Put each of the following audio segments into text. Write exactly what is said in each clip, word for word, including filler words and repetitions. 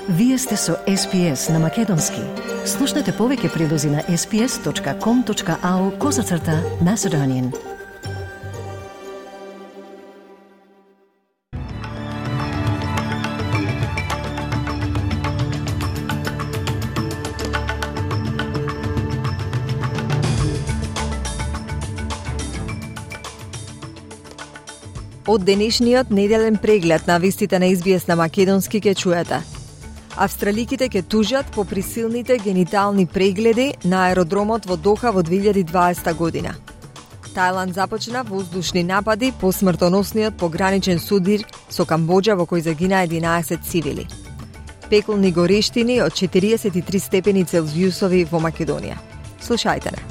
Вие сте со Ес Пи Ес на Македонски. Слушнете повеќе прилози на ес пи ес точка ком точка ау козацрта Macedonian. Од денешниот неделен преглед на вестите на Ес Би Ес на Македонски ке чуете. Австраликите ке тужат по присилните генитални прегледи на аеродромот во Доха во две илјади и дваесета година. Тајланд започна воздушни напади по смртоносниот пограничен судир со Камбоџа во кој загина единаесет цивили. Пеколни горештини од четириесет и три степени Целзиусови во Македонија. Слушајте не.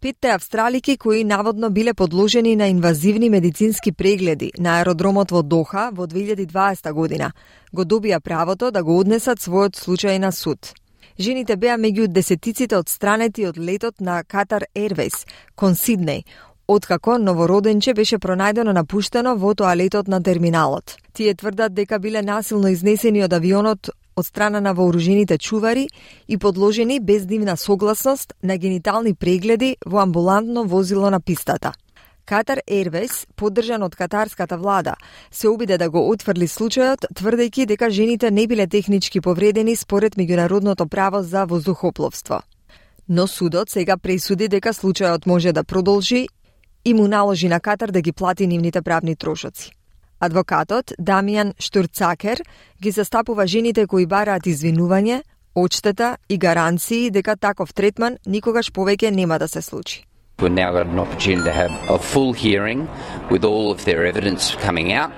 Петте австралики кои наводно биле подложени на инвазивни медицински прегледи на аеродромот во Доха во две илјади и дваесета година го добија правото да го однесат својот случај на суд. Жените беа меѓу десетиците одстранети од летот на Qatar Airways кон Сиднеј, откако новороденче беше пронајдено напуштено во тоалетот на терминалот. Тие тврдат дека биле насилно изнесени од авионот од страна на вооружените чувари и подложени без нивна согласност на генитални прегледи во амбулантно возило на пистата. Qatar Airways, поддржан од катарската влада, се обиде да го отфрли случајот, тврдејќи дека жените не биле технички повредени според меѓународното право за воздухопловство. Но судот сега пресуди дека случајот може да продолжи и му наложи на Катар да ги плати нивните правни трошоци. Адвокатот Дамијан Штурцакер ги застапува жените кои бараат извинување, одштета и гаранции дека таков третман никогаш повеќе нема да се случи. We've now got an opportunity to have a full hearing with all of their evidence coming out,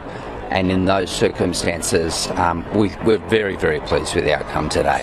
and in those circumstances um, we, we're very, very pleased with the outcome today.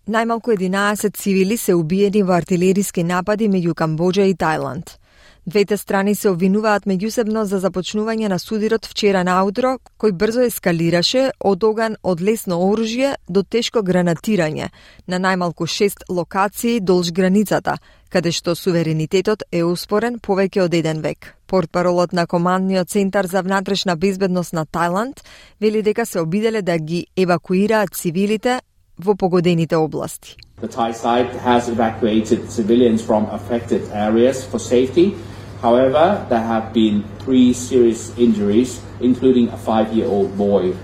Најмалку единаесет цивили се убиени во артилериски напади меѓу Камбоџа и Тајланд. Двете страни се обвинуваат меѓусебно за започнување на судирот вчера наутро, кој брзо ескалираше од оган од лесно оружје до тешко гранатирање на најмалку шест локации долж границата, каде што суверенитетот е успорен повеќе од еден век. Портпаролот на Командниот центар за внатрешна безбедност на Тајланд вели дека се обиделе да ги евакуираат цивилите во погодените области. The Thai side has evacuated civilians from affected areas for safety. However, there have been three serious injuries, including a five-year-old boy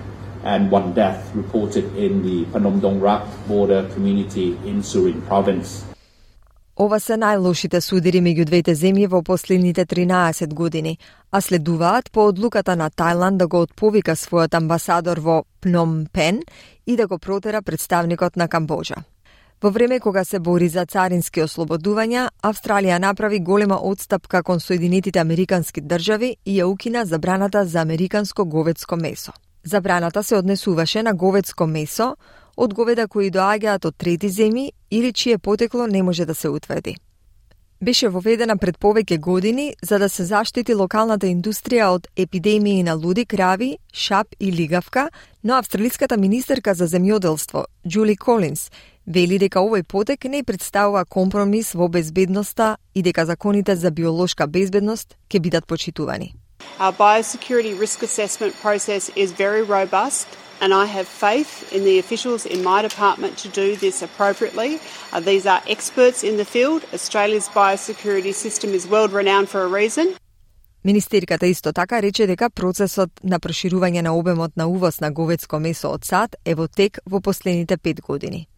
and one death reported in the Phnom Dong Rak border community in Surin province. Ова се најлошите судири меѓу двете земји во последните тринаесет години, а следуваат по одлуката на Тајланд да го отповика својот амбасадор во Пном Пен и да го протера представникот на Камбоџа. Во време кога се бори за царински ослободувања, Австралија направи голема одстапка кон Соединетите Американски држави и ја укина забраната за американско говедско месо. Забраната се однесуваше на говедско месо од говеда кои доаѓаат од трети земји или чие потекло не може да се утврди. Беше воведена пред повеќе години за да се заштити локалната индустрија од епидемии на луди крави, шап и лигавка, но австралиската министерка за земјоделство, Џули Колинс, вели дека овој потек не представува компромис во безбедноста и дека законите за биолошка безбедност ќе бидат почитувани. Our biosecurity risk assessment process is very robust, and I have faith in the officials in my department to do this appropriately. Uh, these are experts in the field. Australia's biosecurity system is world renowned for a reason. Министерката исто така рече дека процесот на проширување на обемот на увоз на говедско месо од САД е во тек во последните пет години.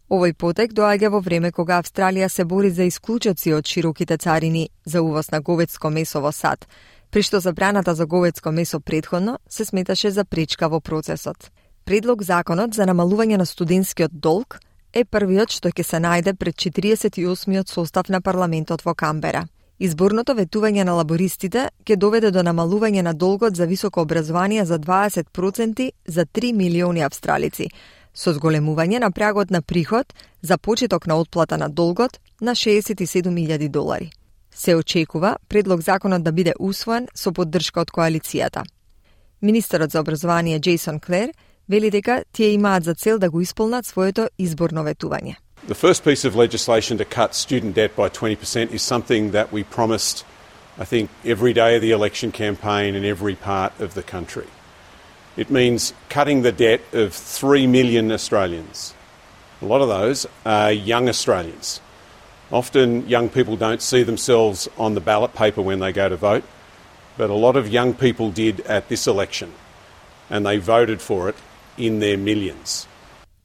Овој потек доаѓа во време кога Австралија се бори за исклучоци од широките царини за увоз на говедско месо во САД, при што забраната за говедско месо претходно се сметаше за пречка во процесот. Предлог законот за намалување на студентскиот долг е првиот што ќе се најде пред четириесет и осмиот состав на парламентот во Камбера. Изборното ветување на лабористите ќе доведе до намалување на долгот за високо образование за дваесет проценти за три милиони австралици, со зголемување на прагот на приход за почеток на отплата на долгот на шеесет и седум илјади долари. Се очекува предлог законот да биде усвоен со поддршка од коалицијата. Министерот за образование Джейсон Клер вели дека тие имаат за цел да го исполнат своето изборно ветување. The first piece of legislation to cut student debt by twenty percent is something that we promised I think, every day of the election campaign in every part of the country. It means cutting the debt of three million Australians. A lot of those are young Australians. Often young people don't see themselves on the ballot paper when they go to vote, but a lot of young people did at this election, and they voted for it in their millions.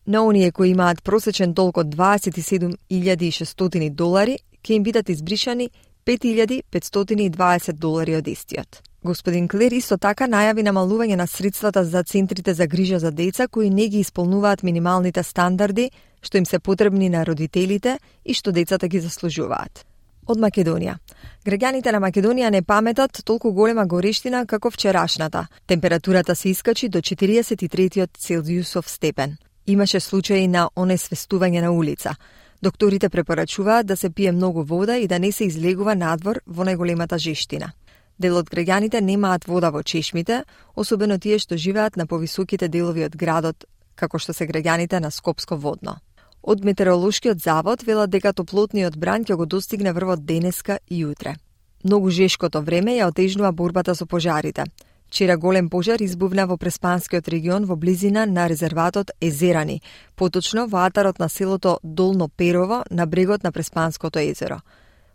На оние кои имаат просечен долг од дваесет и седум илјади и шестстотини долари, ќе им бидат избришани пет илјади петстотини и дваесет долари од истиот. Господин Клер исто така најави намалување на средствата за центрите за грижа за деца кои не ги исполнуваат минималните стандарди што им се потребни на родителите и што децата ги заслужуваат. Од Македонија. Граѓаните на Македонија не паметат толку голема горештина како вчерашната. Температурата се искачи до четириесет и три Целзиусов степен. Имаше случаи на онесвестување на улица. Докторите препорачуваат да се пие многу вода и да не се излегува надвор во најголемата жештина. Дел од граѓаните немаат вода во чешмите, особено тие што живеат на повисоките делови од градот, како што се граѓаните на Скопско водно. Од Метеоролошкиот завод велат дека топлотниот бран ќе го достигне врвот денеска и утре. Многу жешкото време ја отежнува борбата со пожарите. Вчера голем пожар избувна во Преспанскиот регион во близина на резерватот Езерани, поточно во атарот на селото Долно Перово на брегот на Преспанското езеро.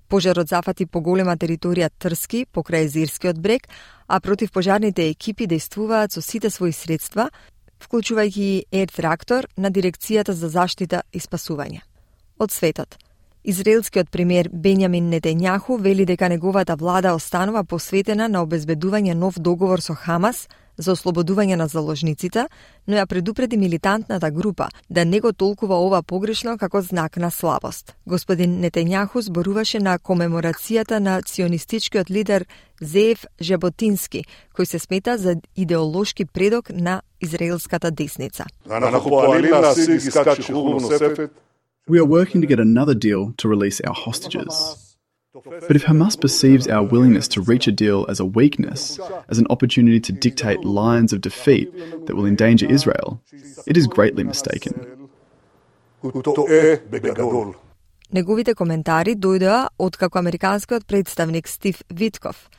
Пожарот зафати поголема територија Трски покрај Езерскиот брег, а противпожарните екипи действуваат со сите своји средства, вклучувајќи и ер-трактор на Дирекцијата за заштита и спасување. Од светот. Израелскиот премиер Бенјамин Нетањаху вели дека неговата влада останува посветена на обезбедување нов договор со Хамас за ослободување на заложниците, но ја предупреди милитантната група да не го толкува ова погрешно како знак на слабост. Господин Нетањаху зборуваше на комеморацијата на ционистичкиот лидер Зеев Жеботински, кој се смета за идеолошки предок на израелската десница. We are working to get another deal to release our hostages. But if Hamas perceives our willingness to reach a deal as a weakness, as an opportunity to dictate lines of defeat that will endanger Israel, it is greatly mistaken. Неговите коментари дојдоа откако американскиот представник Стив Витков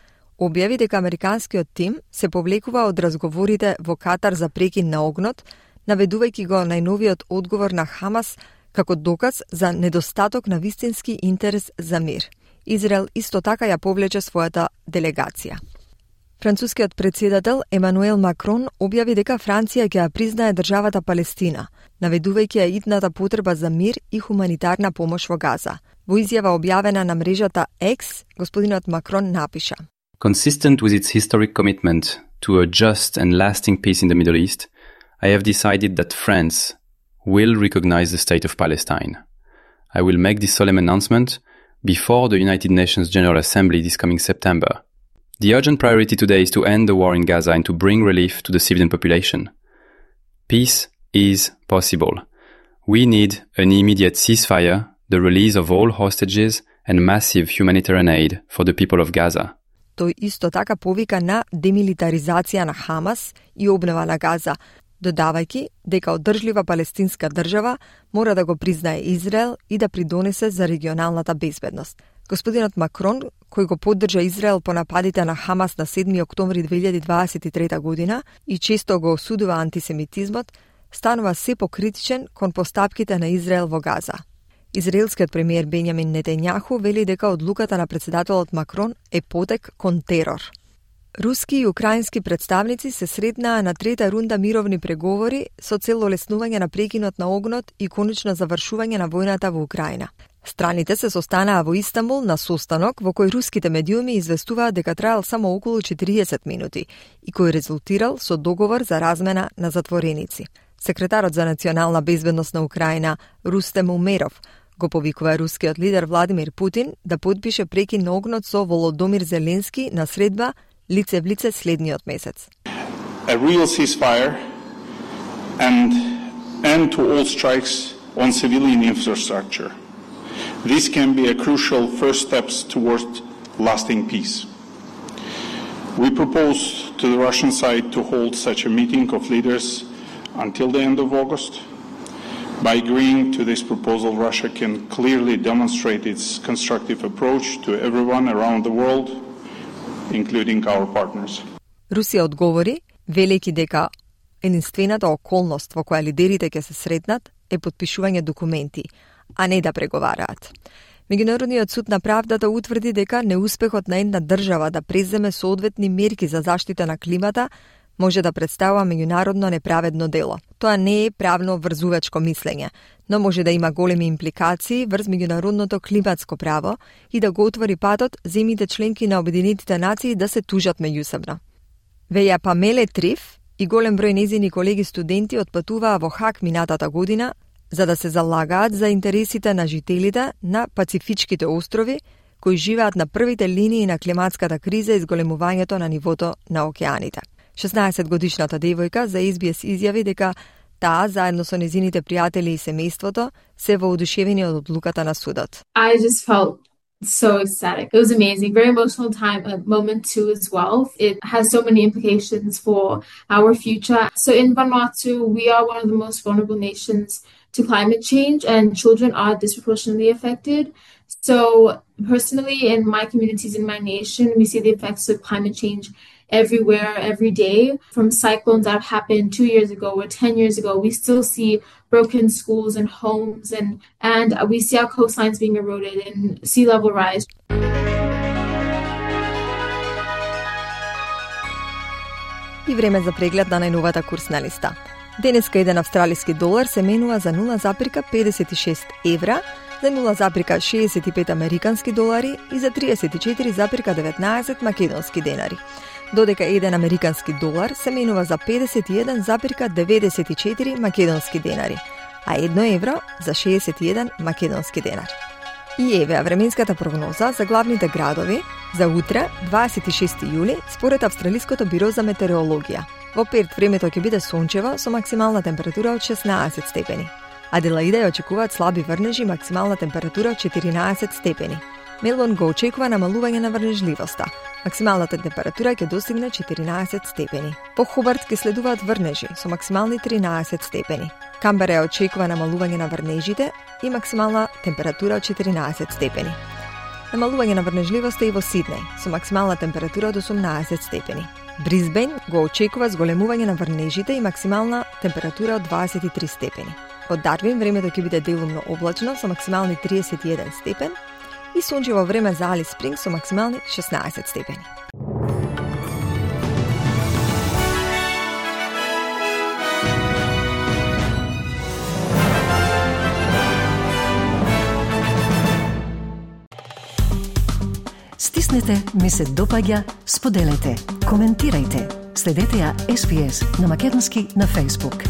објави дека американскиот тим се повлекува од разговорите во Катар за прекин на огнот, наведувајќи го најновиот одговор на Хамас како доказ за недостаток на вистински интерес за мир. Израел исто така ја повлече својата делегација. Францускиот председател Емануел Макрон објави дека Франција ќе ја признае државата Палестина, наведувајќи ја итната потреба за мир и хуманитарна помош во Газа. Во изјава објавена на мрежата X, господинот Макрон напиша: Consistent with its historic commitment to a just and lasting peace in the Middle East, I have decided that France will recognize the state of Palestine. I will make this solemn announcement before the United Nations General Assembly this coming September. The urgent priority today is to end the war in Gaza and to bring relief to the civilian population. Peace is possible. We need an immediate ceasefire, the release of all hostages and massive humanitarian aid for the people of Gaza. Тој исто така повика на демилитаризација на Хамас и обнова на Газа, додавајќи дека одржлива палестинска држава мора да го признае Израел и да придонесе за регионалната безбедност. Господинот Макрон, кој го поддржа Израел по нападите на Хамас на седми октомври две илјади дваесет и трета година и често го осудува антисемитизмот, станува се покритичен кон постапките на Израел во Газа. Израелскиот премиер Бенјамин Нетањаху вели дека одлуката на председателот Макрон е потек кон терор. Руски и украински представници се сретнаа на трета рунда мировни преговори со цел олеснување на прекинот на огнот и конечно завршување на војната во Украина. Страните се состанаа во Истанбул на состанок во кој руските медиуми известуваат дека траел само околу четириесет минути и кој резултирал со договор за размена на затвореници. Секретарот за национална безбедност на Украина Рустем Умеров го повикува рускиот лидер Владимир Путин да подпише прекин на огнот со Володомир Зеленски на средба лице в лице следниот месец. A real ceasefire and end to all strikes on civilian infrastructure. This can be a crucial first steps towards lasting peace. We propose to the Russian side to hold such a meeting of leaders until the end of August. By agreeing to this proposal, Russia can clearly demonstrate its constructive approach to everyone around the world including our partners. Русија одговори, велики дека единствената околност во која лидерите ќе се сретнат е потпишување документи, а не да преговараат. Меѓународниот суд на правдата утврди дека неуспехот на една држава да преземе соодветни мерки за заштита на климата може да представува меѓународно неправедно дело. Тоа не е правно врзувачко мислење, но може да има големи импликации врз меѓународното климатско право и да го отвори патот земјите членки на Обединетите нации да се тужат меѓусебно. Веја Памеле Триф и голем број незини колеги студенти отпатуваа во Хаг минатата година за да се залагаат за интересите на жителите на Пацифичките острови кои живеат на првите линии на климатската криза и зголемувањето на нивото на океаните. шеснаесетгодишната девојка за Ес Би Ес изјави дека таа, заедно со незините пријатели и семејството, се воодушевени од одлуката на судот. I just felt so ecstatic. It was amazing. Very emotional time, a moment too as well. It has so many implications for our future. So in Vanuatu, we are one of the most vulnerable nations to climate change, and children are disproportionately affected. So personally, in my communities, in my nation, we see the effects of climate change everywhere, every day. From cyclones that have happened two years ago or ten years ago, we still see broken schools and homes, and, and we see our coastlines being eroded and sea level rise. И време за преглед на најновата курсна листа. Денеска еден австралиски долар се менува за нула запирка педесет и шест евра, за нула запирка шеесет и пет американски долари и за триесет и четири запирка деветнаесет македонски денари. Додека еден американски долар се менува за педесет и еден запирка деветдесет и четири македонски денари, а едно евро за шеесет и еден македонски денар. И еве временската прогноза за главните градови за утре, дваесет и шести јули, според Австралиското биро за метеорологија. Во Перт времето ќе биде сончево со максимална температура од шеснаесет степени. Аделаида ја очекуваат слаби врнежи, максимална температура од четиринаесет степени. Мелбурн го очекува намалување на врнежливоста. Максималната температура ќе достигне четиринаесет степени. По Хобарт ќе следуваат врнежи со максимални тринаесет степени. Камбера ја очекува намалување на врнежите и максимална температура од четиринаесет степени. Намалување на врнежливоста и во Сиднеј со максимална температура од осумнаесет степени. Брисбен го очекува зголемување на врнежите и максимална температура од дваесет и три степени. Од Дарвин времето ќе биде делумно облачно со максимални триесет и еден степен и сончево време за Алис Спринг со максимални шеснаесет степени. Стиснете, ми се допаѓа, споделете, коментирајте. Следете ја Ес Би Ес на македонски на Facebook.